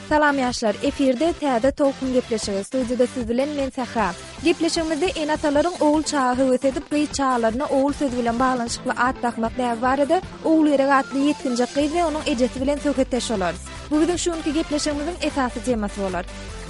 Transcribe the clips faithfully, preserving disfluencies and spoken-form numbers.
Salam ýaşlar, efirde täze Tolkun gepleşigi. Studiýada siz bilen men Sähra. Gepleşigimizde ene-atalaryň ogul çaga höwes edip, gyz çagalaryna ogul sözi bilen baglanyşykly at dakmak däbi barada Ogulgerek atly ýetginjek gyz we onuň ejesi bilen söhbetdeş bolarys. Bu biziň şu günki gepleşigimiziň esasy temasy bolar.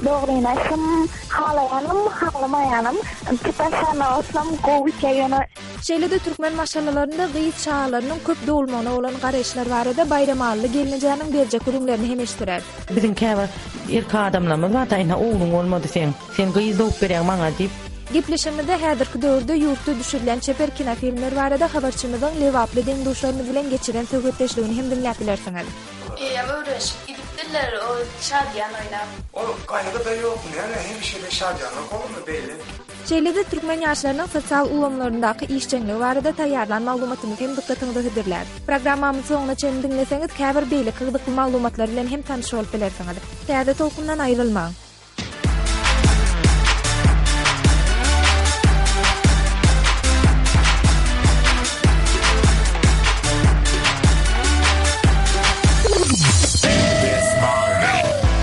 Dogryny aýtsam, halaýanym, halamaýanym, tutanşana bolsam gowy ýöne. Şeýle-de türkmen maşgalalarynda gyz çagalarynyň köp dogulmagyna bolan garaýyşlar barada Baýramally gelnejäniň berjek gürrüňlerini hem eşitdirer. Biziň käbir erkek adamlarymyz bar, ine ogluň bolmady seň, sen gyz dogup berýäň maňa diýip. Gepleşigimizde häzirki döwürde ýurtda düşürilen çeper kinofilmler barada habarçymyzyň Lebaply deň-duşlarymyz bilen geçiren söhbetdeşligini hem diňläp bilersiňiz. Eýýäm öwrenişip gidipdirler o şadyýan oýnap. Ol gaýgy-da ýok, näme hemişe-de şadyýanlyk bolarmy beýle? Şeýle-de türkmen ýaşlarynyň sosial ulgamlaryndaky işjeňligi barada taýýarlan maglumatymyzy hem dykgatyňyza hödürläris. Programmamyzy soňuna çenli diňleseňiz, käbir beýleki gyzykly maglumatlar bilen hem tanyş bolup bilersiňiz. Täze tolkundan aýrylmaň.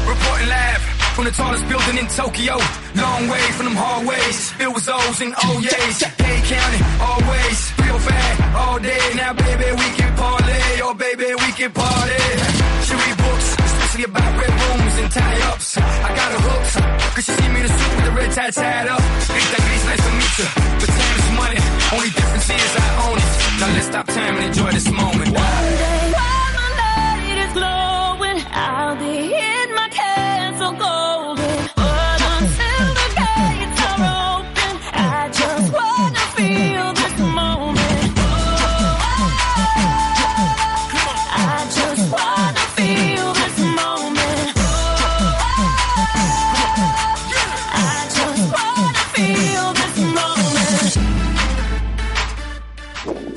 Reporting live from the tallest building in Tokyo. Long way from them hallways, filled with O's and oh yeahs. Hey, county, always feel fat all day. Now, baby, we can parlay, oh baby, we can party. She read books, especially about red rooms and tie-ups. I got her hooked, cause she see me in a suit with the red tie tied up. Rita Gris, nice to meet you, but time is money. Only difference is I own it. Now let's stop time and enjoy this moment. One day while my light is glowing, I'll be in my castle golden. But until the gates are open, I just wanna feel this moment. I just wanna feel this moment. I just wanna feel this moment.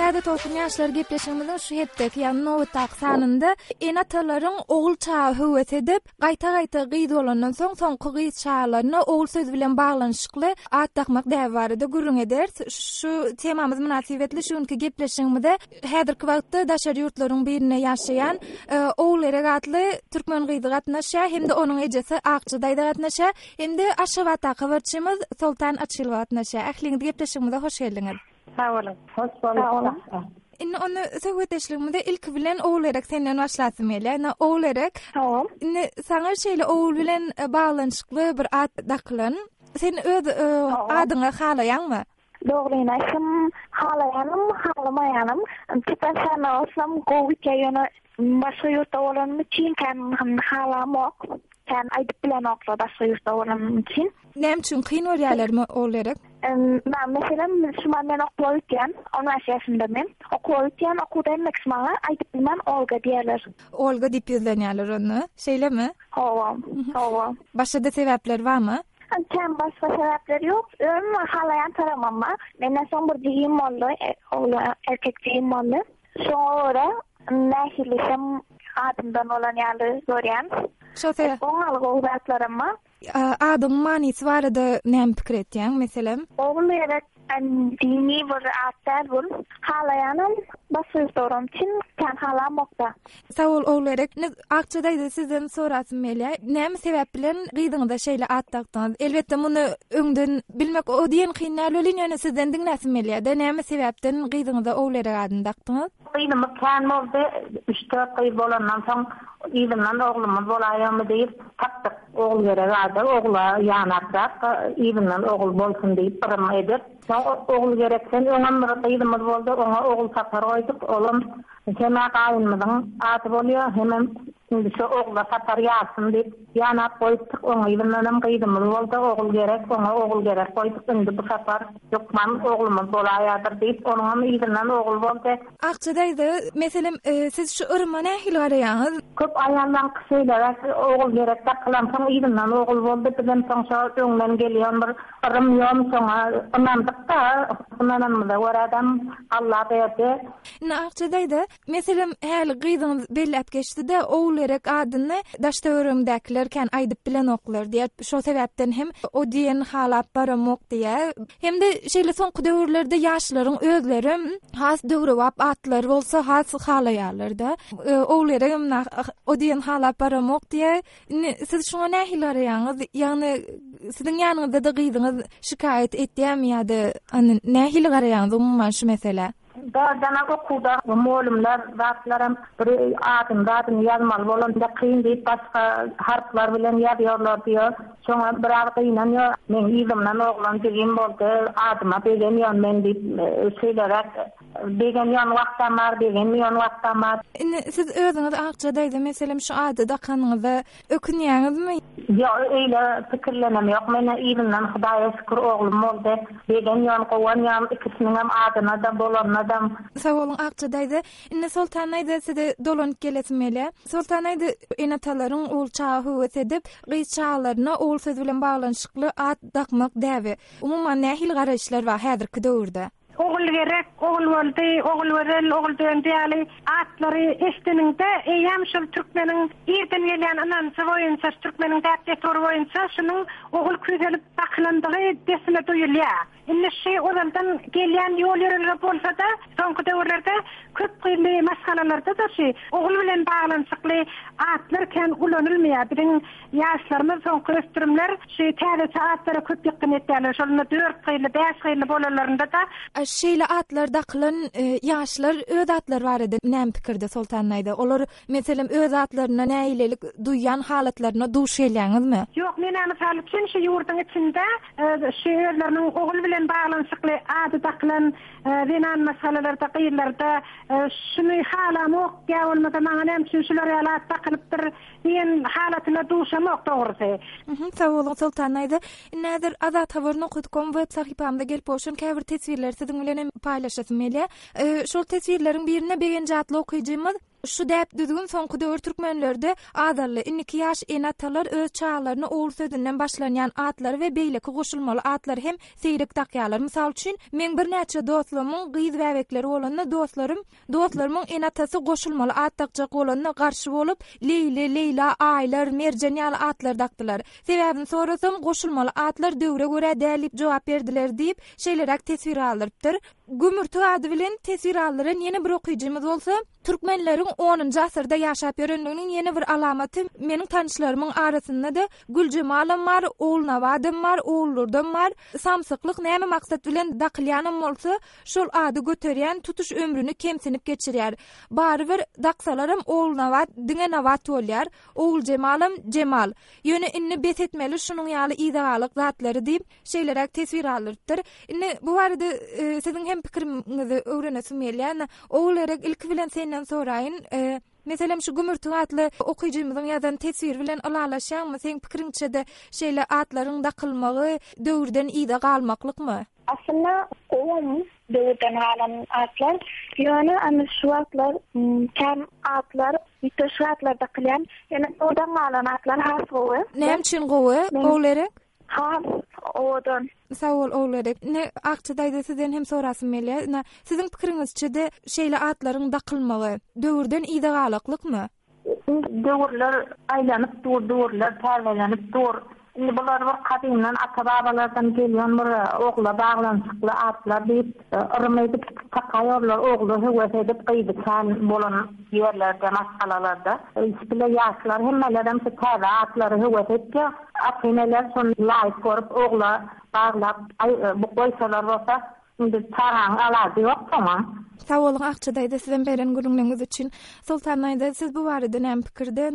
Täze Tolkun ýaşlar gepleşigimiziň şu hepdeki, ýagny nobatdaky sanynda ene-atalaryň ogul çaga höwes edip, gaýta-gaýta gyz bolandan soň soňky gyz çagalaryna ogul sözi bilen baglanyşykly at dakmak däbi barada gürrüň ederis. Şu temamyz mynasybetli şu günki gepleşigimize häzirki wagtda daşary ýurtlaryň birinde ýaşaýan, e, Ogulgerek atly türkmen gyzy gatnaşýar hem-de onuň ejesi Akja daýza gatnaşýar hem-de Aşgabatdaky habarçymyz Soltan Açylowa gatnaşýar. Ähliňiz gepleşigimize hoş geldiňiz. Sag boluň. Hoş bulduk. Indi ony söhbetdeşligimize ilki bilen Ogulgerek senden başlasym gelýär. Indi Ogulgerek, Tamam. indi saňa şeýle ogul bilen e, baglanyşykly bir at dakylan. Sen öz e, adyňy halaýaňmy? Dogryny aýtsam, halaýanym, halamaýanym, tutanşana bolsam gowy ýöne başga ýurtda bolanym üçin kän halamok. Kän aýdyp bilenoklar başga ýurtda bolanym üçin. Näme üçin kyn görýärlermi Ogulgerek? Men meselem şu men okuwa gitýän, on bäş ýaşymda men. Okuwa gitýän, okuwda hemmek maňa aýdyp bilmän Olga diýerler. Olga diýip ýüzlenýärler ony. Şeýlemi? Hawa, hawa. Başga-da sebäpler barmy? Kän başga sebäpler ýok. Özüm halaýan taramam bar. Menden soň bir jigim boldy, e, ogly erkek jigim boldy. Şoňa görä nähili adymdan bolan ýaly görýän. Şo sebäp Oňaly gowy zatlarym bar. adyň manysy barada näme pikir etýäň meselem? Ogulgerek dini bir at däl bu. Halaýanym başga ýurtda üçin kän halamokda. Sag bol Ogulgerek. Indi Akja daýza sizden sorasym gelýär. Näme sebäp bilen gyzyňyza şeýle at dakdyňyz? Elbetde muny öňden bilmek o diýen kyn däl welin, ýöne sizden diňläsim gelýär-de. Näme sebäpden gyzyňyza Ogulgerek adyny dakdyňyz? Gyzymyz kän boldy, üç dört gyz bolandan soň yzyndan oglumyz bolaýamy diýip tapdyk. Ogulgerek ady, ogla ýanaprak, yzyndan ogul bolsun diýip yrym edip. Soň Ogulgerekden öňem bir gyzymyz boldy, oňa Ogul Sapar goýduk. Olam hemä gaýynymyzyň ady bolýar, hemem indi şu ogla Sapar ýarsyn diýip ýanap goýupdyk. Oň yzyndanam gyzymyz boldy, Ogulgerek, oňa Ogulgerek goýduk. Indi bu sapar hökman oglumyz bolaýadyr diýip, onuňam yzyndan ogul boldy. Akja daýza, meselem, e, siz şu yryma nähili garaýaňyz? Köp aýallar şeýleräk Ogulgerek dakylan soň yzyndan ogul boldy. Bizem soň şo öňden gelýän bir yrym ýom soňa ynandyk-da, ynananymyza görä-de Allah berdi. Indi Akja daýza, meselem, häli gyzyňyz belläp geçdi-de, Ogulgerek Ogulgerek adyny daş-töweregimdäkiler kän aýdyp bilenoklar diýýär. Şo sebäpden hem o diýen halap baramok diýýär. Hem-de şeýle soňky döwürlerde ýaşlaryň özleri has döwrebap atlar bolsa has halaýarlar-da. Ogulgeregem o diýen halap baramok diýýär. Indi siz şuňa nähili garaýaňyz? Ýagny siziň ýanyňyzda-da gyzyňyz şikaýat etýärmi ýa-da nähili garaýaňyz umuman şu meselä? Dogrudan okuwda mugallymlar zatlaram bir adyny zadyny ýazmaly bolanda kyn diýip başga harplar bilen ýazýarlar diýär. Şoňa biraz gynanýar. Men yzymdan oglan jigim boldy, adyma begenýän men diýip şeýleräk begenýän wagtam bar, begenmeýän wagtam bar. Indi siz özüňiz Akja daýza meselem şu ady dakanyňyza ökünýäňizmi? Ýok, eýle pikirlenem ýok. Men yzymdan Hudaýa şükür oglum boldy. Begenýän, gowanýan ikisiniň adyna da bolanyna da. Sag boluň Akja daýza. Indi Soltan daýza size dolanyp gelesim gelýär. Soltan daýza ene-atalaryň ogul çaga höwes edip, gyz çagalaryna ogul söz bilen baglanyşykly at dakmak däbi. Umuman nähili garaýyşlar bar häzirki döwürde? Ogulgerek, ogul boldy, ogul gözel, ogul döndi ýaly atlary eşdeniňde eýýäm şol türkmeniň irden gelýän ynanjy boýunça, türkmeniň däp-dessury boýunça şunuň ogul küýselip dakylandygy desine duýulýar. Indi şu ozaldan gelýän ýol ýörelge bolsa-da, soňky döwürlerde köp gyzly maşgalalarda da şu ogul bilen baglanyşykly atlar kän ulanylmaýar. Biziň ýaşlarymyz soňky ösdürimler şu täzeçe atlara köp ýykgyn etýärler. Şolunda dört gyzly, bäş gyzly bolanlarynda da şeýle atlar dakylan ýaşlar öz atlary barada näme pikirde Soltan daýza? Olar meselem öz atlaryna nägilelik duýýan halatlaryna duş gelýäňizmi? Ýok, men mysal üçin şu ýurduň içinde şu özleriniň ogul bilen baglanyşykly ady dakylan zenan maşgalalarda, gyzlarda şuny halamok, ýa bolmasa maňa näme üçin şular ýaly at dakylypdyr diýen halatyna duşamok dogrusy. Sag boluň Soltan daýza. Indi häzir Azat Habar nokta com web sahypamyza gelip gowşan käbir teswirleri siziň bilen hem paýlaşasym gelýär. Şol teswirleriň birinde Begenç atly okyjymyz şu däp düzgün soňky döwür türkmenlerde azaldy. Indiki ýaş ene-atalar öz çagalaryny ogul sözünden başlanýan atlary we beýleki goşulmaly atlary hem seýrek dakýarlar. Mysal üçin, men birnäçe dostlarymyň gyz bäbekleri bolanda dostlarym, dostlarymyň ene-atasy goşulmaly at dakjak bolanda garşy bolup, Leýli, Leýla, Aýlar, Merjen ýaly atlar dakdylar. Sebäbini sorasam, goşulmaly atlar döwre görä däl diýip jogap berdiler diýip, şeýleräk teswir aldyrypdyr. Gümürtik ady bilen teswir aldyran ýene bir okyjymyz bolsa, türkmenleriň onunjy asyrda ýaşap ýörenliginiň ýene bir alamaty meniň tanyşlarymyň arasynda-da Güljemalym bar, Ogulnabadym bar, Oguldurdam bar. Samsyklyk näme maksat bilen dakylýanam bolsa, şol ady göterýän tutuş ömrüni kemsinip geçirýär. Bary bir daksalaram Ogulnabat diňe Nabat bolýar, Oguljemalym Jemal. Ýöne indi bes etmeli şunuň ýaly yzagalyk zatlary diýip, şeýleräk teswir aldyrypdyr. Indi bu barada siziň hem pikiriňizi öwrenesim gelýär. Ogulgerek ilki bilen senden soraýyn. Meselem şu Gümürtik atly okyjymyzyň ýazan teswiri bilen ylalaşýaňmy? Seň pikiriňçe-de şeýle atlaryň dakylmagy döwürden yza galmaklykmy? Aslynda gowum döwürden galan atlar. Ýöne ana şu wagtlar käm atlar, ýüteşik atlar dakylýan. Ýöne döwürden galan atlar has gowy. Näme üçin gowy? Ogulgerek? Has owadan. Sag bol Ogulgerek. Ne Akja daýza sizden hem sorasym gelýär. Na siziň pikiriňizçe-de şeýle atlaryň dakylmagy döwürden yza galaklykmy? Döwürler aýlanyp dur, döwürler täzelenip dur. Indi bular bir gadymdan ata-babalardan gelýän bir ogla baglanyşykly atlar diýip, yrym edip takaýarlar, ogly höwes edip gyzy kän bolan ýerlerde, maşgalalarda. Bile ýaşlar hemmelerem şu täze atlary höwes etýär. Ata-eneler şony laýyk görüp ogla baglap, bu goýsalar bolsa, indi çagaň alady ýok soňa. Sag boluň Akja daýza sizem beren gürrüňleriňiz üçin. Soltan daýza siz bu barada näme pikirde?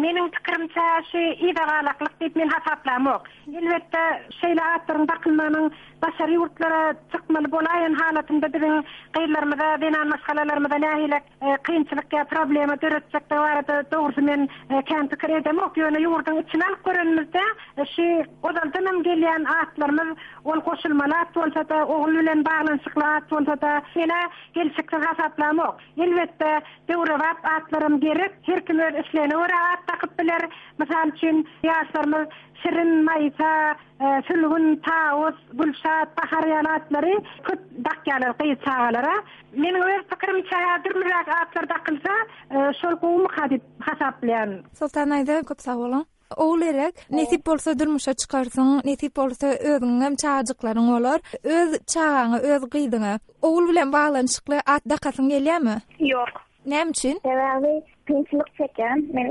Meniň pikirimçe şu yzagalaklyk diýip men hasaplamok. Elbetde şeýle atlaryň dakylmagynyň daşary ýurtlara çykmaly bolaýan halatynda biziň gyzlarymyza, zenan maşgalalarymyza nähili kynçylyk ýa problema döretjekdigi barada dogrusy men kän pikir edemok. Ýöne ýurduň içine alyp görenimizde şu ozaldan hem gelýän atlarymyz ol goşulmaly at bolsa-da, ogul bilen baglanyşykly at bolsa-da, ýene Gelşiksiz hasaplamok. Elbetde döwrebap atlarym gerek. Her kim öz islegine görä at dakyp biler. Mysal üçin ýaşlarymyz Şirin, Maýsa, e, Sülgün, Tawus, Gülşat, Bahar ýaly atlary köp dakýarlar gyz çagalara. Meniň öz pikirimçe dürlüräk atlar dakylsa, e, şol gowumyka diýip hasaplaýan. Soltan daýza, köp sag boluň. Ogulgerek, nesip bolsa durmuşa çykarsyň, nesip bolsa özüňem çagajyklaryň bolar. Öz çagaňa, öz gyzyňa ogul bilen baglanyşykly at dakasyň gelýärmi? Ýok. Näme üçin? Sebäbi kynçylyk çekýän. Men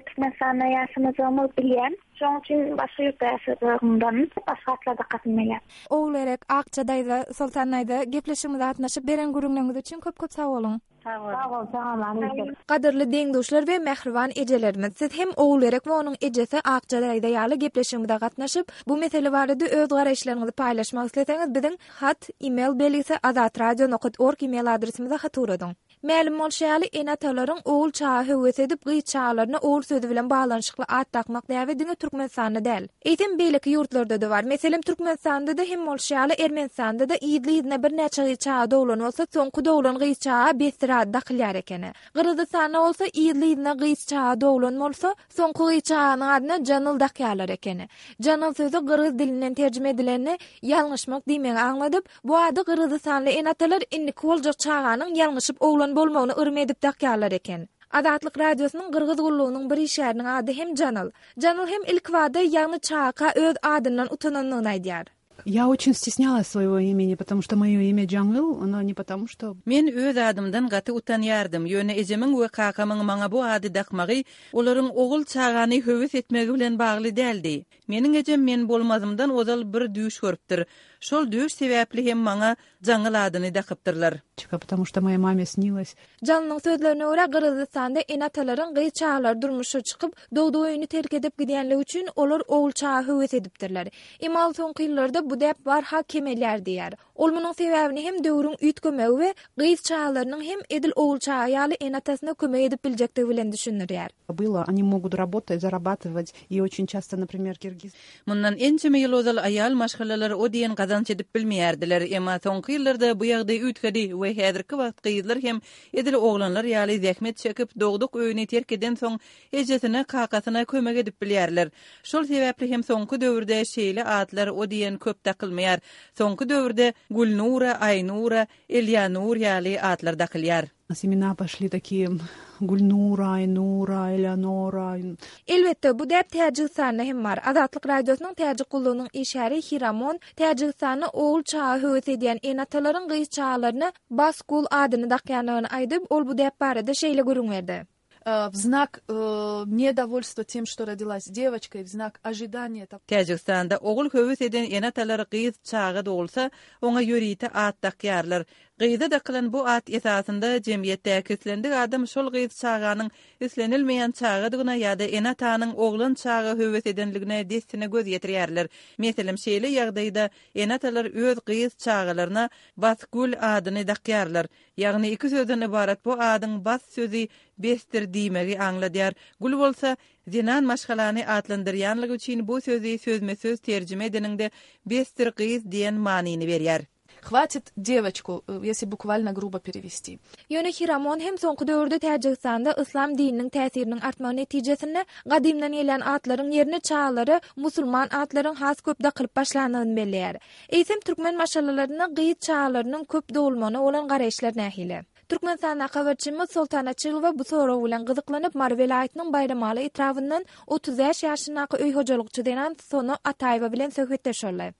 Türkmenistanda ýaşamajagymy bilýän. Şonuň üçin başga ýurtda ýaşajagymdan başga atlar dakasym gelýär. Ogulgerek, Akja daýza, Soltan daýza, gepleşigimize gatnaşyp beren gürrüňleriňiz üçin köp-köp sag boluň. Sag bol. Sag bol, sag Gadyrly deň-duşlar we mähriban ejelerimiz, siz hem Ogulgerek we onuň ejesi Akja daýza ýaly gepleşigimize gatnaşyp, bu mesele barada öz garaýyşlaryňyzy paýlaşmak isleseňiz, biziň hat e-mail belgisi azatradio nokta org e-mail adresimize hat ugradyň. Mälim bolşy ýaly, ene-atalaryň ogul çaga höwes edip, gyz çagalaryna ogul sözi bilen baglanyşykly at dakmak däbi diňe Türkmenistanda däl. Eýsem beýleki ýurtlarda-da bar. Meselem, Türkmenistanda-da hem bolşy ýaly, Ermenistanda-da ýyly-ýylyna birnäçe gyz çaga doglan bolsa, soňky doglan gyz çaga bestir ady dakylýar ekeni. Gyrgyzystanda bolsa ýyly-ýylyna gyz çaga doglan bolsa, soňky gyz çaganyň adyna Janyl dakýarlar ekeni. Janyl sözi gyrgyz dilinden terjime edilende ýalňyşmak diýmegi aňladyp, bu ady Gyrgyzystanly ene-atalar indiki boljak çaganyň ýalňyşyp oglan bolmagyny yrym edip dakýarlar eken. Azatlyk Radiosynyň Gyrgyz gullugynyň bir işgäriniň ady hem Janyl. Janyl hem ilk wada ýagny çaga öz adyndan utanandygyny aýdýar. Я очень стеснялась своего имени, потому что мое имя Джангыл, оно не потому, что Men öz adymdan gaty utanýardym. Ýöne ejemiň we kakamyň maňa bu ady dakmagy olaryň ogul çagany höwes etmegi bilen bagly däldi. Meniň ejem men bolmazymdan ozal bir düýş görüpdir. Şol düýş sebäpli hem maňa Jaňyl adyny dakypdyrlar. потому что моей маме снилось. Janylyň sözlerine görä Gyrgyzystanda ene-atalaryň gyz çagalary durmuşa çykyp, dogduk öýüni terk edip gidýänligi üçin olar ogul çaga höwes edipdirler. Emma soňky ýyllarda bu däp barha kemelýär diýär. Ol munuň sebäbini hem döwrüň üýtgemegi we gyz çagalarynyň hem edil ogul çaga ýaly ene-atasyna kömek edip biljekdigi bilen düşündirýär. Было, они могут работать, зарабатывать, и очень часто, например, киргиз. Mundan ençeme ýyl ozal aýal maşgalalar o diýen gazanç edip bilmeýärdiler. Emma soňky ýyllarda bu ýagdaý üýtgedi we häzirki wagt gyzlar hem edil oglanlar ýaly zähmet çekip dogduk öýüni terk eden soň ejesine, kakasyna kömek edip bilýärler. Şol sebäpli hem soňky döwürde şeýle atlar o diýen köp dakylmaýar. Soňky döwürde Gülnura, Aýnura, Elyanur ýaly atlar dakylýar. У нас имена пошли такие Гульнура, Айнура, Элеонора. Elbetde bu däp Täjigistanda hem bar. Azatlyk Radiosynyň Täjik gullugynyň işgäri Hiramon Täjigistanda ogul çaga höwes edýän ene-atalaryň gyz çagalaryna Baskul adyny dakýandygyny aýdyp, ol bu däp barada şeýle gürrüň berdi. Э, в знак э, недовольства тем, что родилась девочка, и в знак ожидания того, Täjigistanda ogul höwes eden ene-atalar gyz çaga dogulsa, oňa ýörite at dakýarlar. Gyza dakylan bu at esasynda jemgyýetdäki islendik adam şol gyz çaganyň islenilmeýän çagadygyna ýa-da ene-atanyň oglan çaga höwes edenligine dessine göz ýetirýärler. Meselem, şeýle ýagdaýda ene-atalar öz gyz çagalaryna Basgul adyny dakýarlar. Ýagny iki sözden ybarat bu adyň bas sözi besdir diýmegi aňladýar. Gül bolsa zenan maşgalany atlandyrýanlygy üçin bu sözi sözme-söz terjime edeniňde besdir gyz diýen manyny berýär. Хватит девочку, э, если буквально грубо перевести. Ýöne Hiramon hem soňky döwürde Täjigistanda yslam dininiň täsiriniň artmagy netijesinde gadymdan gelen atlaryň ýerine çagalara musulman atlaryň has köp dakylyp başlandygyny belleýär. Eýsem türkmen maşgalalaryna gyz çagalarynyň köp dogulmagyna bolan garaýyşlar nähili? Türkmenistanda habarçymyz Soltan Açylowa bu sorag bilen gyzyklanyp Mary welaýatynyň Baýramaly etrabyndan otuz bäş ýaşyndaky öý hojalykçy zenan Sona Ataýewa bilen söhbetdeş boldy.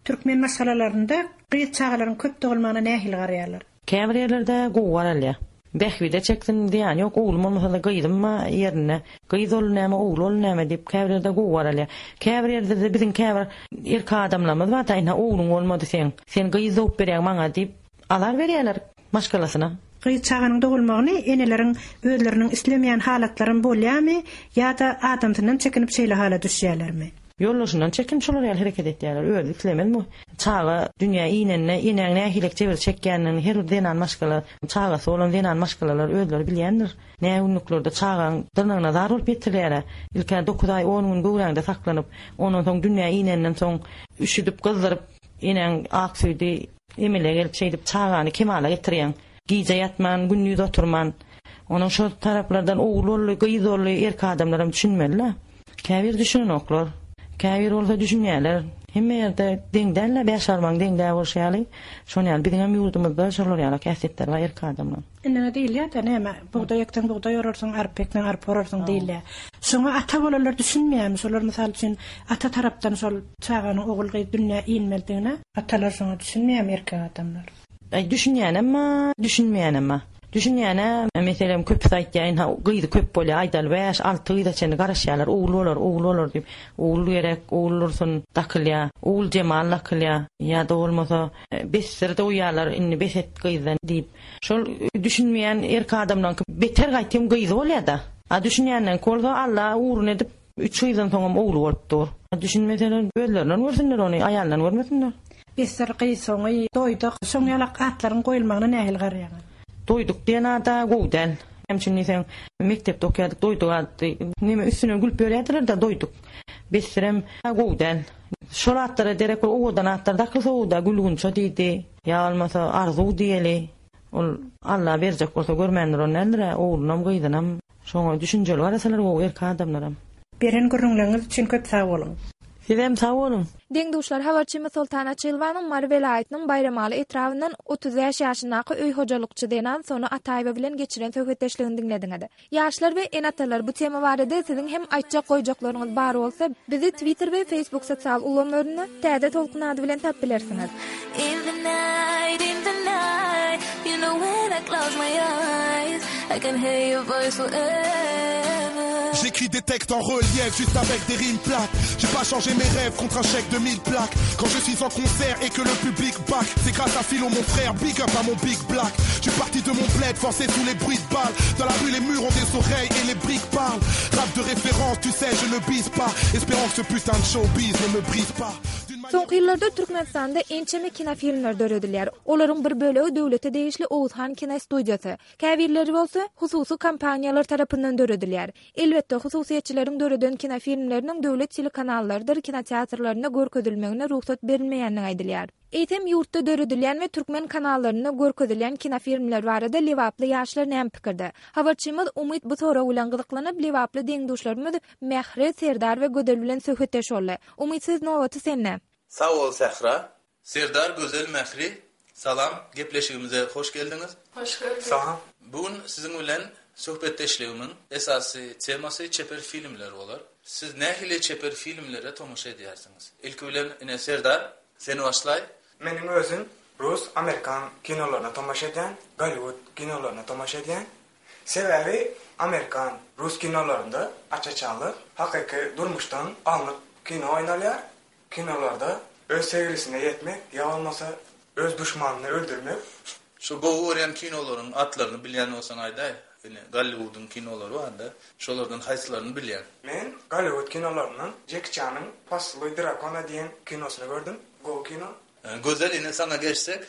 Türkmen maşgalalarynda gyz çagalaryň köp dogulmagyna nähili garaýarlar? Käbir ýerlerde gowy garalýar. Bähbide çeksin diýen ýok, oglum bolmasa-da gyzym ýerine, gyz ol näme, ogul ol näme diýip käbir ýerde gowy garalýar. Käbir ýerde biziň käbir erkek adamlarymyz bar, da, ine ogluň bolmady sen, sen gyz dogup berýäň maňa diýip alar berýärler maşgalasyna. Gyz çaganyň dogulmagyny eneleriň özleriniň islemeýän halatlaryny bolýarmy ýa-da adamsyndan çekinip şeýle hala düşýärlermi? Ýollaşyndan çekin şolar ýaly hereket etýärler. Öz islemez mi? Çaga dünýä inenine, enäň nähili jebir çekýänini her bir zenan maşgala, çagasy bolan zenan maşgalalar özleri bilýändir. Näme günlüklerde çagaň dyrnagyna zar bolup ýetirýärler. Ilkä dokuz aý on gün göwräňde saklanyp, ondan soň dünýä inenden soň üşüdüp gyzdyryp Enäň ak süýdi emele gelip şeýdip çagany kemala getirýäň. Gije ýatman, gündiz oturman. Onuň şol taraplardan ogul boldy, gyz boldy, erkek adamlaram düşünmeli-le. Käbir düşünenoklar. Käbir bolsa düşünýärler. Hemme ýerde deň däl-le, bäş barmagyň deň däl bolşy ýaly. Şonuň ýaly biziň hem ýurdumyzda şolar ýaly häsiýetler bar erkek adamlaryň. Indi näme diýilýär-de, näme, bugdaý ekseň bugdaý orarsyň, arpa ekseň arpa orarsyň diýilýär. Şoňa ata bolanlar düşünmeýärmi? Şolar mysal üçin ata tarapdan şol çaganyň ogul-gyz dünýä inmelidigine atalar şoňa düşünmeýärmi erkek adamlar? Aý düşünýänem bar, düşünmeýänem bar. Düşünýäne, meselem, köpüsi aýtýar, ynha, gyzy köp bolýar, aýdaly bäş, alty gyza çenli garaşýarlar, ogul bolar, ogul bolar diýip, ogul gerek, ogul dursun dakylýar, ogul jemal dakylýar, ýa-da bolmasa, besdir doýýarlar, indi bes et gyzdan diýip. Şol düşünmeýän erkek adamlaryňky beter gaýtym gyzy bolýar-da. A düşünýänleriňki bolsa Alla ugruna edip, üç gyzdan soňam ogly bolup dur. Düşünmeseler özlerinden görsünler ony, aýalyndan görmesinler. Besdir gyz soňy, doýduk, şoň ýalak atlaryň goýulmagyna nähili garaýaňyz? Doýduk diýen ada gowy däl. Näme üçin diýseň, mekdepde okaýardyk, doýduk atdy. Neme üstüne gülüp ýörýärdiler-de, doýduk. Besdirem gowy däl. Şol atlara derek bir owadan atlar dakylsa gowy-da, Gülgunça diýdi, ýa bolmasa Arzuw diýeli. Ol Alla berjek bolsa görmändir ony däldir-ä, oglunam, gyzynam. Şoňa düşünjeli garasalar gowy erkek adamlaram. Beren gürrüňleriňiz üçin köp sag boluň. Sizem sag boluň. Deň-duşlar habarçymyz Soltan Açylowanyň Mary welaýatynyň Baýramaly etrabyndan otuz bäş ýaşyndaky öý hojalykçy zenan Sona Ataýewa bilen geçiren söhbetdeşligini diňlediňiz. Ýaşlar we ene-atalar bu tema barada siziň hem aýtjak goýjaklaryňyz bar bolsa, bizi Twitter we Facebook sosial ulgamlarynda Täze Tolkun ady bilen tapyp bilersiňiz. In the night, in the night, you know when I close my eyes, I can hear your voice forever. J'écris des textes en relief, juste avec des rimes plates. J'ai pas changé mes rêves contre un chèque de mille plaques. Quand je suis en concert et que le public back, c'est grâce à Philo mon frère, big up à mon big black. Je suis parti de mon bled, forcé sous les bruits de balles. Dans la rue les murs ont des oreilles et les briques parlent. Rap de référence, tu sais, je ne bise pas. Espérant que ce putain de showbiz ne me brise pas. Soňky ýyllarda Türkmenistanda ençeme kinofilmler döredilýär. Olaryň bir bölegi döwlete degişli Oguzhan kinostudiýasy, käbirleri bolsa hususy kompaniýalar tarapyndan döredilýär. Elbetde, hususyýetçileriň döreden kinofilmleriniň döwlet telekanallarydyr kinoteatrlarynda görkezilmegine rugsat berilmeýändigi aýdylýar. Eýsem ýurtda döredilýän we türkmen kanallarynda görkezilýän kinofilmler barada lebaply ýaşlar näme pikirde? Habarçymyz Umyt bu sorag bilen gyzyklanyp, lebaply deň-duşlarymyz Mähri, Serdar we Gözel bilen söhbetdeş boldy. Umyt söz nobaty sende. Sag bol Sähra. Serdar Gözel Mähri, salam, gepleşigimize hoş geldiňiz. Hoş gördük. Salam. Bu gün siziň bilen söhbetdeşligimiň esasy temasy çeper filmler bolar. Siz nähili çeper filmlere tomaşa edýärsiňiz? Ilki bilen ine Serdar, sen başlaý. Meniň özüm rus, amerikan kinolaryna tomaşa edýän, Golliwood kinolaryna tomaşa edýän. Sebäbi amerikan, rus kinolarynda aç-açanlyk, hakyky durmuşdan alnyp kino oýnalýar. Kinolarda öz sevgilisine ýetmek ýa bolmasa öz duşmanyny öldürmek. Şu gowy görýän kinolaryň atlaryny bilýän bolsaň aýdaý. Ine Golliwoodyň kinolary bar-da, şolardan haýsylaryny bilýäň? Men Golliwood kinolaryndan Jeki Çanyň Poseluý drakona diýen kinosyny gördüm. Gowy kino. Gözel ine saňa geçsek,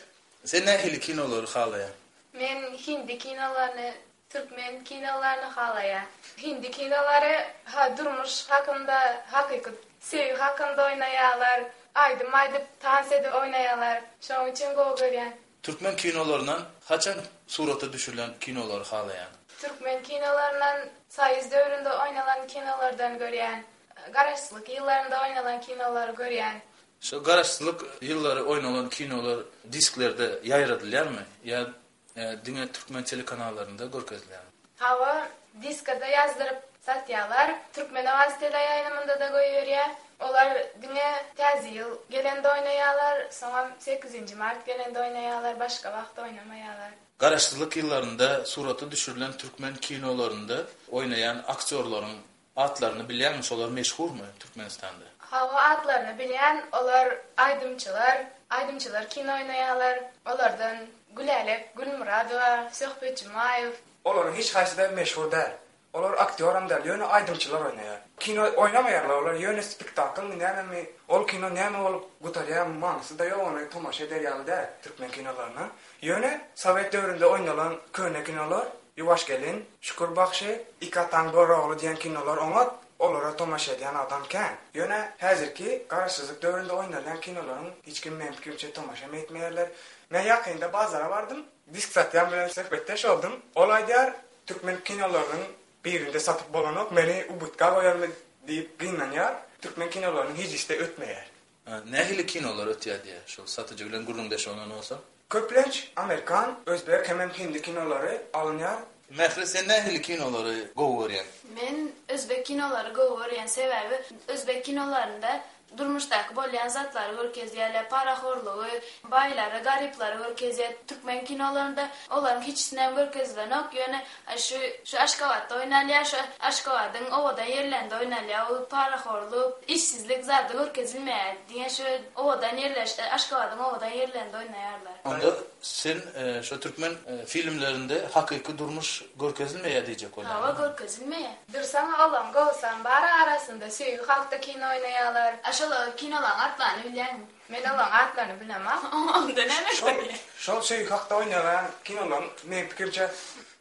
sen nähili kinolary halaýaň? Men hindi kinolaryny, türkmen kinolaryny halaýan. Hindi kinolary ha durmuş hakynda, hakyky söýgi hakynda oýnaýarlar, aýdym aýdyp, tans edip oýnaýarlar. Şonuň üçin gowy görýän. Türkmen kinolaryndan haçan surata düşürilen kinolary halaýaň? Türkmen kinolaryndan Soýuz döwründe oýnalan kinolardan görýän. Garaşsyzlyk ýyllarynda oýnalan kinolary görýän. Şu garaşsyzlyk ýyllary oýnalan kinolar disklerde ýaýradylýarmy ýa diňe türkmen telekanallarynda görkezilýärmi? Hawa, diskada ýazdyryp satýarlar. Türkmen Owazy teleýaýlymynda-da goýberýär. Olar diňe Täze ýyl gelende oýnaýarlar, soňam sekizinji mart gelende oýnaýarlar, başga wagt oýnamaýarlar. Garaşsyzlyk ýyllarynda surata düşürilen türkmen kinolarynda oýnaýan aktýorlaryň atlaryny bilýäňmi? Şolar meşhurmy Türkmenistanda? Hawa, atlaryny bilýän, olar aýdymçylar, aýdymçylar kino oýnaýarlar. Olardan Gülälek Gülmyradowa, Söhbet Jumaýew. Olaryň hiç haýsy-da meşhur däl. Olar aktýoram däl, ýöne aýdymçylar oýnaýar. Kino oýnamaýarlar olar, ýöne spektaklmy nämemi, ol kino näme bolup gutarýar, manysy-da ýok, ony tomaşa eder ýaly däl türkmen kinolaryna. Ýöne sowet döwründe oýnalan köne kinolar, Ýuwaş gelin, Şükür bagşy, Iki ataň Görogly diýen kinolar oňat. Olara tomaşa edýän adam kän. Ýöne häzirki garaşsyzlyk döwründe oýnalýan kinolaryň hiç kim meň pikirimçe tomaşa etmeýärler. Men ýakynda bazara bardym, disk satýan bilen söhbetdeş boldum. Ol aýdýar, türkmen kinolarynyň birinde satyp bolanok, meni ubutka goýarmy diýip gynanýar. Türkmen kinolarynyň hiç işte ötmeýär. Nähili kinolar ötýär diýär, şol satyjy bilen gürrüňdeş bolan bolsa? Köplenç Amerikan, özbek hemem hindi kinolary alynýar. Mähri, sen nähili kinolary gowy görýäň? Men özbek kinolary gowy görýän, sebäbi özbek kinolarynda durmuşdaky bolýan zatlary görkezýärler, parahorlugy, baýlary, garyplary görkezýär. Türkmen kinolarynda olaryň hiçisinem görkezilenok, ýöne şu şu Aşgabatda oýnalýar, şu Aşgabadyň owadan ýerlerinde oýnalýar, ol parahorluk, işsizlik zady görkezilmeýär. Diňe şu owadan ýerler, Aşgabadyň owadan ýerlerinde oýnaýarlar. Onda sen şu türkmen filmlerinde hakyky durmuş görkezilmeýär diýjek bolýaň. Hawa, görkezilmeýär. Dursaň olaň gowsam bar arasynda söýgi hakda kino oýnaýarlar. A şol kinolaryň atlaryny bilýäňmi? Men olaryň atlaryny bilemok. Onda näme Şol, şol söýgi hakda oýnaýan kinolaryň meň pikirimçe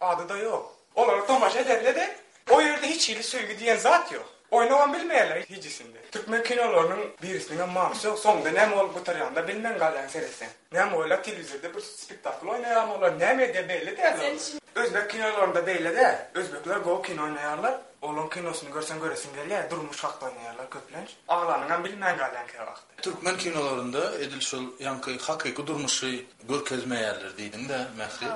ady-da ýok. Olara tomaşa edende-de o ýerde hiç hili söýgi diýen zat ýok. Oýnagam bilmeýärler hiçisinde. Türkmen kinolarynyň birisiniň manysy ýok. Soňunda näme bolup gutarýanyny bilmän galýaň seretseň. Näme bolýar telewizorda bir spektakl oýnaýar olar näme edýär belli däl. Özbek kinolarynda beýle däl. Özbekler gowy kino oýnaýarlar. Olaryň kinosyny görseň göresiň gelýär. Durmuş hakda oýnaýarlar köplenç. Aglanyňam bilmän galýaň käwagt. Türkmen kinolarynda edil şol ýaňky hakyky durmuşy görkezmeýärler diýdiň-de, Mähri.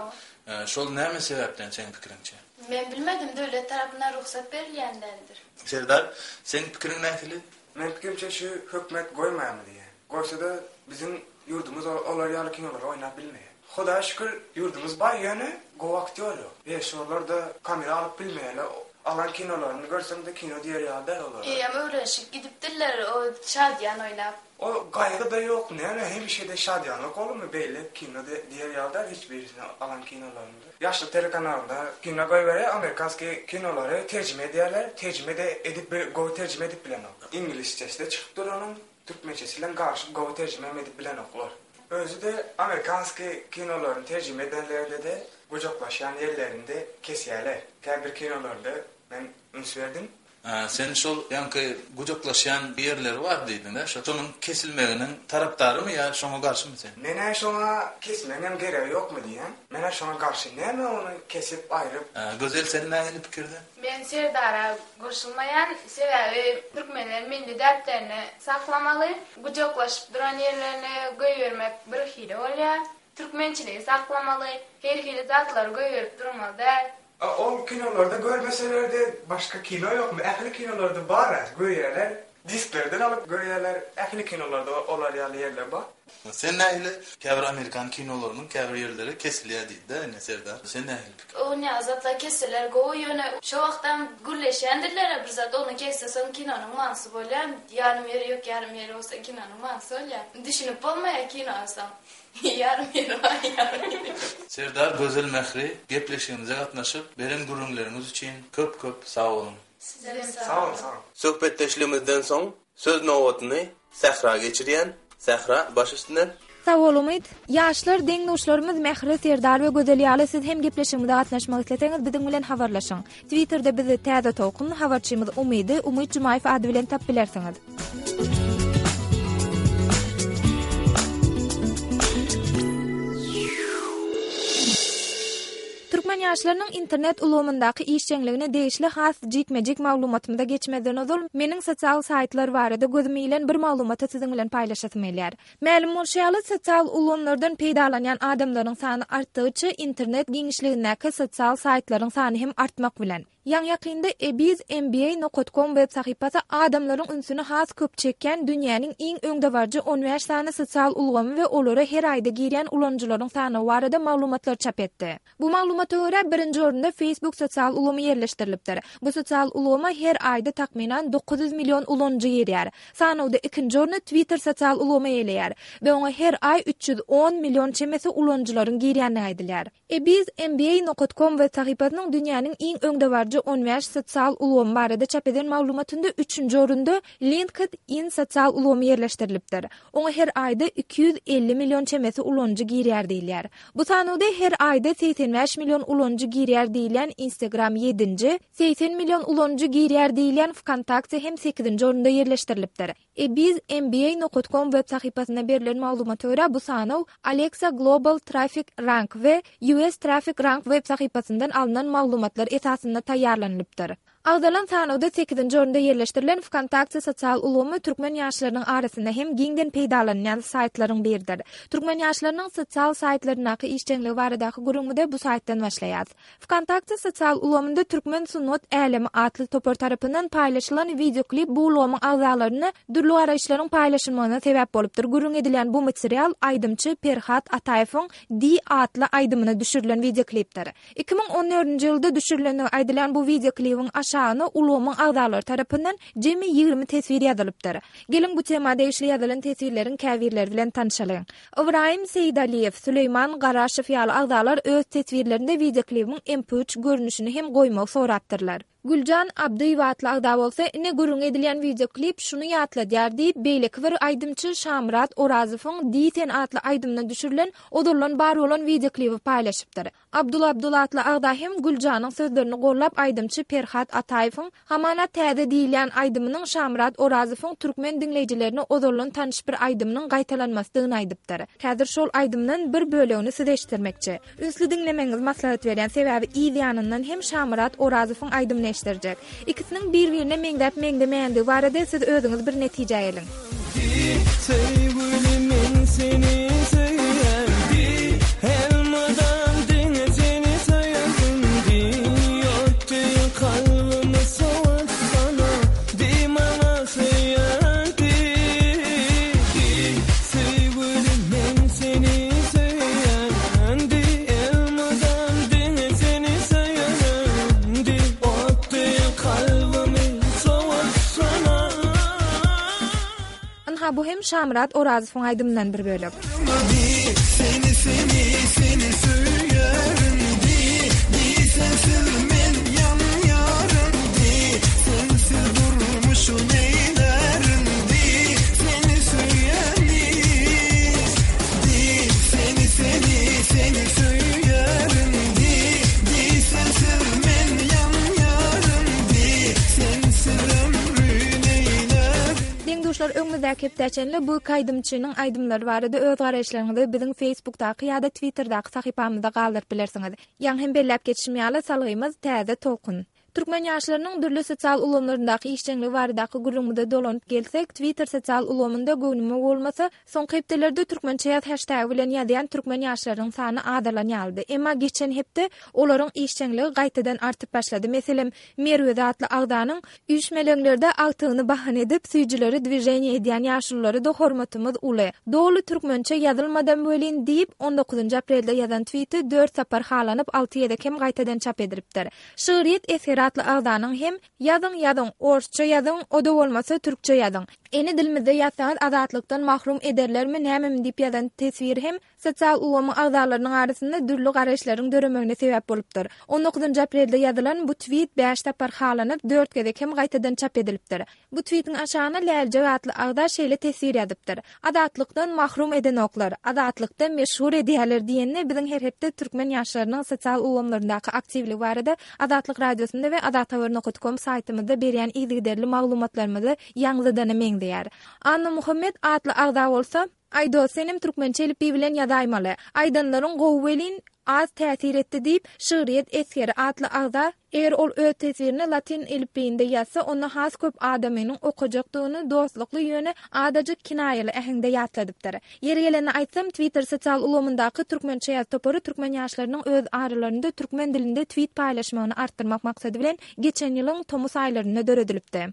Şol näme sebäpden seň pikiriňçe? Men bilmedim, döwlet tarapyndan rugsat berilýändendir. Serdar, seň pikiriň nähili? Men pikirimçe şu hökümet goýmaýarmy diýýän. Goýsa-da biziň ýurdumyz olar ýaly kinolary oýnap bilmeýär. Hudaýa şükür ýurdumyz baý, ýöne gowy aktýor ýok. Režissýorlar-da kamera alyp bilmeýärler. Alan kinolaryny görseň-de kino diýer ýaly däl olar. Eýýäm öwrenişip gidipdirler o şadyýan oýnap. O gaýgy-da ýok, näme hemişe-de şadyýanlyk bolmy beýle kino diýer ýaly däl hiç birisini alan kinolarynda. Ýaşlyk telekanalynda kino goýberýär, amerikanskiý kinolary terjime edýärler, terjime de edip gowy terjime edip bilenok. Iňlisçesi-de çykyp dur onuň, türkmençesi bilen garşyp gowy terjime edip bilenoklar. Özi-de amerikanskiý kinolaryny terjime edenlerde-de gujaklaşýan ýerlerinde kesýärler. Käbir kinolarda men üns berdim. Sen şol ýaňky gujaklaşýan ýerleri bar diýdiň-de, şonuň kesilmeginiň tarapdarymy ýa şoňa garşymy sen? Menä şoňa kesmegiň geregi ýokmy diýen. Menä şoňa garşy näme ony kesip aýryp? Gözel, sen nähili pikirde? Men Serdara goşulmaýan, sebäbi türkmenler milli däplerini saklamaly, gujaklaşyp duran ýerlerini goýbermek bir hili bolýar. Türkmençiligi saklamaly, her hili zatlary goýberip durmaly däl. Ol kinolarda görmeseler-de başga kino ýokmy? Ähli kinolarda bar, görýärler. Disklerden alyp görýärler. Ähli kinolarda olar ýaly ýerler bar. Sen nähili käbir Amerikan kinolarynyň käbir ýerleri kesilýär diýdi-de, ine Serdar. Sen nähili pikir? O näme zatlar kesseler gowy, ýöne şo wagtdan gürleşýändirler bir zat, ony kesse soň kinonyň manysy bolýar. Ýarym ýeri ýok, ýarym ýeri bolsa kinonyň manysy bolýar. Düşünip bolmaýar kino soň. Ýarym ýeri bar, ýarym ýeri. Serdar Gözel Mähri gepleşigimize gatnaşyp, beren gürrüňleriňiz üçin köp-köp sag boluň. Size Sag boluň, sag boluň. Söhbetdeşligimizden soň söz nobatyny Sähra geçirýän. Sähra baş üstüne. Sag bol Umyt. Ýaşlar deň-duşlarymyz Mähri, Serdar we Gözel ýaly siz hem gepleşigimize gatnaşmak isleseňiz biziň bilen habarlaşyň. Twitterde bizi Täze Tolkun habarçymyz Umydy Umyt Jumaýew ady bilen tap bilersiňiz. Türkmen ýaşlarynyň internet ulgamyndaky işjeňligine degişli has jikme-jik maglumatymyza geçmezden ozal meniň sosial saýtlar barada gözüm ilen bir maglumaty siziň bilen paýlaşasym gelýär. Mälim bolşy ýaly sosial ulgamlardan peýdalanýan adamlaryň sany artdygyça internet giňişligindäki sosial saýtlaryň sany hem artmak bilen. Ýaň ýakynda ebiz m b a nokta com web sahypasy adamlaryň ünsüni has köp çekýän dünýäniň iň öňdebaryjy on bäş sany sosial ulgamy we olara her aýda girýän ulanyjylaryň sany barada maglumatlar çap etdi. Bu maglumata görä birinji orunda Facebook sosial ulgamy ýerleşdirilipdir. Bu sosial ulgama her aýda takmynan dokuz ýüz million ulanyjy girýär. Sanawda ikinji orny Twitter sosial ulgamy eýeleýär we oňa her aý üç ýüz on million çemesi ulanyjylaryň girýändigi aýdylýar. Ebiz m b a nokta com web sahypasynyň dünýäniň iň öňdebaryjy öňdebaryjy on bäş sosial ulgamy barada çap eden maglumatynda üçünji orunda LinkedIn sosial ulgamy ýerleşdirilipdir. Oňa her aýda iki ýüz elli million çemesi ulanyjy girýär diýilýär. Bu sanawda her aýda segsen bäş million ulanyjy girýär diýilýän Instagram ýedinji, segsen million ulanyjy girýär diýilýän Vkontakte hem sekizinji orunda ýerleşdirilipdir. Ebiz M B A nokta com web sahypasynda berilen maglumata görä bu sanaw Alexa Global Traffic Rank we U S Traffic Rank web sahypasyndan alnan maglumatlar esasynda taýýarlanylypdyr. Agzalan sanawda sekizinji orunda ýerleşdirilen Vkontakte sosial ulgamy türkmen ýaşlarynyň arasynda hem giňden peýdalanylýan saýtlaryň biridir. Türkmen ýaşlarynyň sosial saýtlaryndaky işjeňligi baradaky gürrüňimizi bu saýtdan başlaýarys. Vkontakte sosial ulgamynda Türkmen sungat älemi atly topar tarapyndan paýlaşylan videoklip bu ulgamyň agzalaryna dürli garaýyşlaryň paýlaşylmagyna sebäp bolupdyr. Gürrüň edilýän bu material aýdymçy Perhat Ataýewiň Di atly aýdymyna düşürilen videoklipdir. Iki müň on dördünji ýylda düşürilendigi aýdylan bu videoklibiň aşagyna ulgamyň agzalary tarapyndan jemi ýigrimi teswir ýazylypdyr. Geliň bu tema degişli ýazylan teswirleriň käbirleri bilen tanışalyň. Ibrahim Seýdaliýew, Süleýman Garaşow ýaly agzalar öz teswirlerinde videoklibiň M P üç görnüşini hem goýmagy sorapdyrlar. Güljan Abdyýewa atly agza bolsa, ine gürrüň edilýän videoklip şuny ýatladýar diýip, beýleki bir aýdymçy Şamyrat Orazowyň Diý sen atly aýdymyna düşürilen ozaldan bar bolan videoklibi paýlaşypdyr. Abdul Abdul atly agza hem Güljanyň sözlerini gollap aýdymçy Perhat Ataýewiň Hamana täze diýilýän aýdymynyň Şamyrat Orazowyň türkmen diňleýjilerine ozaldan tanyş bir aýdymynyň gaýtalanmasydygyny aýdypdyr. Häzir şol aýdymdan bir bölegini size eşitdirmekçi. Ünsli diňlemegiňizi maslahat berýän, sebäbi yz ýanyndan hem Şamyrat Orazowyň aýdymyny eşitdirjek. Ikisiniň bir-birine meňzäp meňzemeýändigi barada siz özüňiz bir netije geliň. Söýgülim men seni söýýän, elmydam diňe seni söýerim, ýokdy kalbymy sowatsana, diý maňa söýýän, söýgülim men seni söýýän, elmydam diňe seni söýerim, ýokdy kalbymy sowatsana. Ynha bu hem Şamyrat Orazowyň aýdymyndan bir bölek. Seni, seni, seni söýerim, di, di, sensiz men ýanýarym, di, sensiz durmuşu neýlerim, di, seni söýýän, di, di, seni, seni, seni söýerim, di, di, sensiz men ýanýarym, di, sensiz ömrü neýlerim. Deň-duşlar, öňümizdäki hepdä çenli bu aýdymçynyň aýdymlary barada öz garaýyşlaryňyzy biziň Facebookdaky ýa-da Twitterdaky sahypamyzda galdyryp bilersiňiz. Ýaňy hem belläp geçişim ýaly salgymyz Täze Tolkun. Türkmen ýaşlarynyň dürli sosial ulgamlaryndaky işjeňligi baradaky gürrüňimize dolanyp gelsek, Twitter sosial ulgamynda göwnüme bolmasa, soňky hepdelerde türkmençe ýaz hashtag bilen ýazýan türkmen ýaşlarynyň sany azalan ýalydy. Emma geçen hepde olaryň işjeňligi gaýtadan artyp başlady. Meselem, Merwez atly agzanyň üýşmeleňlerde agtygyny bahan edip, süýjüleri dwiženiýe edýän ýaşululary da hormatymyz uly. Doly türkmençe ýazylmadam welin diýip, on dokuzynjy aprelde ýazan tweeti dört sapar halanyp, alty gezek hem gaýtadan çap edilipdir. Şygryýet eseri atly agzanyň hem ýazyň ýazyň, orsça ýazyň, o da bolmasa türkçe ýazyň. Ene dilimizde ýazsaňyz azatlykdan mahrum ederlermi, nämemi diýip ýazan teswir hem sosial ulgamyň agzalarynyň arasynda dürli garaýyşlaryň döremegine sebäp bolupdyr. on dokuzynjy aprelde ýazylan bu tweet bäş sapar halanyp, dört gezek hem gaýtadan çap edilipdir. Bu tweetiň aşagyna Läljek atly agza şeýle teswir ýazypdyr. Azatlykdan mahrum edenoklar, azatlykda meşhur edýärler diýenine biziň her hepde türkmen ýaşlarynyň sosial ulgamlaryndaky aktiwligi barada Azatlyk radiosynda we azathabar nokta com saýtymyzda berýän yzygiderli maglumatlarymyzy ýaňzydana meňzeýär. Anna Muhammed atly agza bolsa, Aýdo, senem türkmençe elipbiý bilen ýazaýmaly. Aýdanlaryň gowy welin az täsir etdi diýip, Şygryýet esgeri atly agza, eger ol öz teswirini latyn elipbiýinde ýazsa, onda has köp adamynyň okajakdygyny dostlukly ýöne adajyk kinaýaly äheňde ýatladypdyr. Ýeri geleni aýtsam, Twitter sosial ulgamyndaky türkmençe ýaz topary türkmen ýaşlarynyň öz aralarynda türkmen dilinde tweet paýlaşmagyny artdyrmak maksady bilen geçen ýylyň tomus aýlarynda döredilipdi.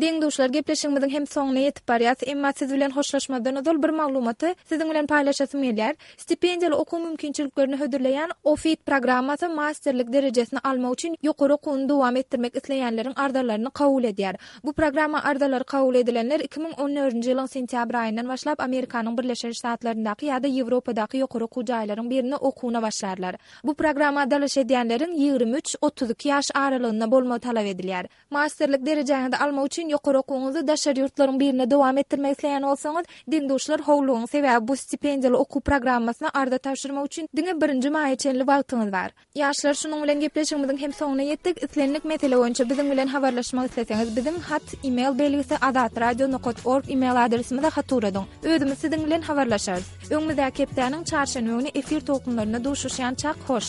Deň-duşlar, Ýaşlar, gepleşigimiziň hem soňuna ýetip barýas, emma siz bilen hoşlaşmazdan ozal bir maglumaty siziň bilen paýlaşasym gelýär. Stipendiýaly okuw mümkinçiliklerini hödürleýän OFIT programmasy masterlik derejesini almak üçin ýokary okuwyny dowam etdirmek isleýänleriň arzalaryny kabul edýär. Bu programma arzalary kabul edilenler iki müň on dördünji ýylyň sentýabr aýyndan başlap Amerikanyň Birleşen Ştatlaryndaky ýa-da Ýewropadaky ýokary okuw jaýlaryň birinde okuwyna başlarlar. Bu programma dalaş edýänleriň ýigrimi üç, otuz iki ýaş aralygynda bolmagy talap edilýär. Masterlik derejäňizi almak üçin ýokary okuwyňyzy daşary ýurtlaryň birinde dowam etdirmek isleýän bolsaňyz, deň-duşlar howlugyň, sebäbi bu stipendiýaly okuw programmasyna arza tabşyrmak üçin diňe birinji maýa çenli wagtyňyz bar. Ýaşlar, şunuň bilen gepleşigimiziň hem soňuna ýetdik. Islendik mesele boýunça biziň bilen habarlaşmak isleseňiz, biziň hat e-mail belgisi azatradio nokat org e-mail adresimize hat ugradyň. Özümiz siziň bilen habarlaşarys. Öňümizdäki hepdäniň çarşenbe güni efir tolkunlarynda duşuşýançak hoş.